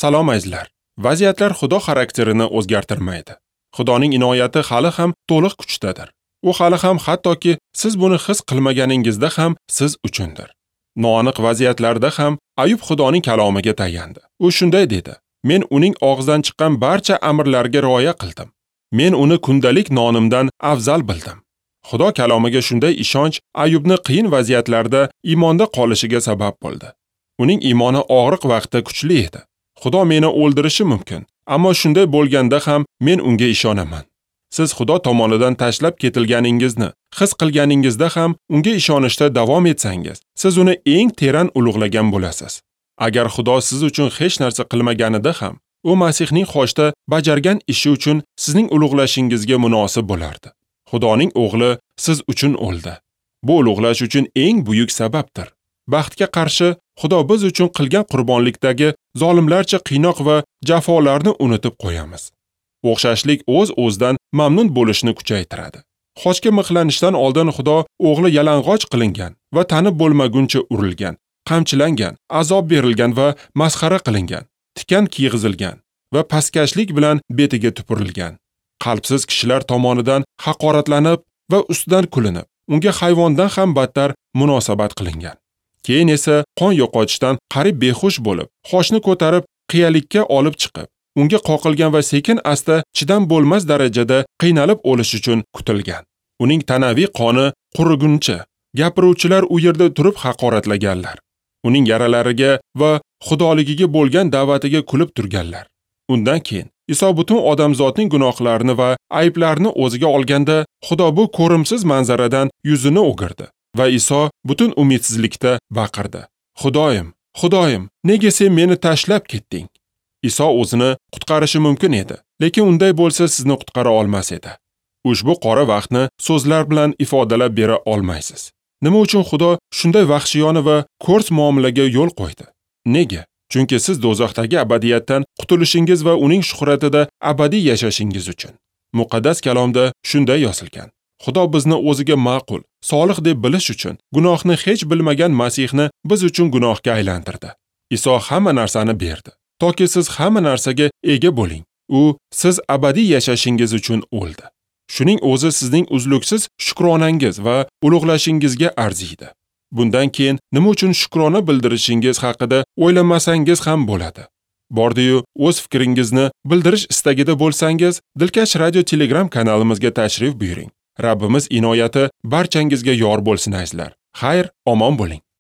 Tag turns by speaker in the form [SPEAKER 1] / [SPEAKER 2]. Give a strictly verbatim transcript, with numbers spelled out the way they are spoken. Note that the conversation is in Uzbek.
[SPEAKER 1] Salom azizlar. Vaziyatlar Xudo xarakterini o'zgartirmaydi. Xudoning inoyati hali ham to'liq kuchdadir. U hali ham hattoki siz buni his qilmaganingizda ham siz uchundir. Noaniq vaziyatlarda ham Ayub Xudoning kalomiga tayandi. U shunday dedi: Men uning og'zidan chiqqan barcha amrlarga rioya qildim. Men uni kundalik nonimdan afzal bildim. Xudo kalomiga shunday ishonch Ayubni qiyin vaziyatlarda iymonda qolishiga sabab bo'ldi. Uning iymoni og'riq vaqtda kuchli edi. Xudo meni o'ldirishi mumkin, ammo shunday bo'lganda ham men unga ishonaman. Siz Xudo tomonidan tashlab ketilganingizni his qilganingizda ham unga ishonishda davom etsangiz, siz uni eng teran ulug'lagan bo'lasiz. Agar Xudo siz uchun hech narsa qilmaganida ham, u Masihning xochda bajargan ishi uchun sizning ulug'lashingizga munosib bo'lardi. Xudoning o'g'li siz uchun o'ldi. Bu ulug'lash uchun eng buyuk sababdir. Baxtga qarshi Xudo biz uchun qilgan qurbonlikdagi zolimlarcha qiynoq va jafolarni unutib qo'yamiz. O'xshashlik o'z-o'zidan mamnun bo'lishni kuchaytiradi. Xochga mixlanishdan oldin Xudo o'g'li yalang'och qilingan va tanib bo'lmaguncha urilgan, qamchilangan, azob berilgan va masxara qilingan, tikan kiyg'izilgan va pastkashlik bilan betiga tupurilgan. Qalbsiz kishilar tomonidan haqoratlanib va ustidan kulinib, unga hayvondan ham battar munosabat qilingan. Keyin esa qon yo'qotishdan qarib behush bo'lib, xochni ko'tarib qiyalikka olib chiqib, unga qoqilgan va sekin asta chidam bo'lmas darajada qiynalib o'lish uchun kutilgan. Uning tanaviy qoni quriguncha gapiruvchilar u yerda turib haqoratlaganlar. Uning yaralariga va xudoligiga bo'lgan da'vatiga kulib turganlar. Undan keyin Iso butun odamzodning gunohlarini va ayblarini o'ziga olganda, Xudo bu ko'rimsiz manzaradan yuzini o'girdi va Iso butun umidsizlikda baqirdi: Xudoyim, Xudoyim, nega sen meni tashlab ketding? Iso o'zini qutqarishi mumkin edi, lekin unday bo'lsa sizni qutqara olmas edi. Ushbu qora vaqtni so'zlar bilan ifodalab bera olmaysiz. Nima uchun Xudo shunday vahshiyona va ko'rs muomalaga yo'l qo'ydi? Nega? Chunki siz do'zaxdagi abadiyatdan qutulishingiz va uning shuhratida abadiy yashashingiz uchun. Muqaddas kalomda shunday yozilgan: Xudo bizni o'ziga ma'qul, solih deb bilish uchun gunohni hech bilmagan Masihni biz uchun gunohga aylantirdi. Iso hamma narsani berdi, toki siz hamma narsaga ega bo'ling. U siz abadiy yashashingiz uchun o'ldi. Shuning o'zi sizning uzluksiz shukronangiz va ulug'lashingizga arziydi. Bundan keyin nima uchun shukrona bildirishingiz haqida o'ylamasangiz ham bo'ladi. Bordi-yu o'z fikringizni bildirish istagida bo'lsangiz, Dilkash Radio Telegram kanalimizga tashrif buyuring. Rabbimiz inoyati barchangizga yor bo'lsin azizlar. Xayr, omon bo'ling.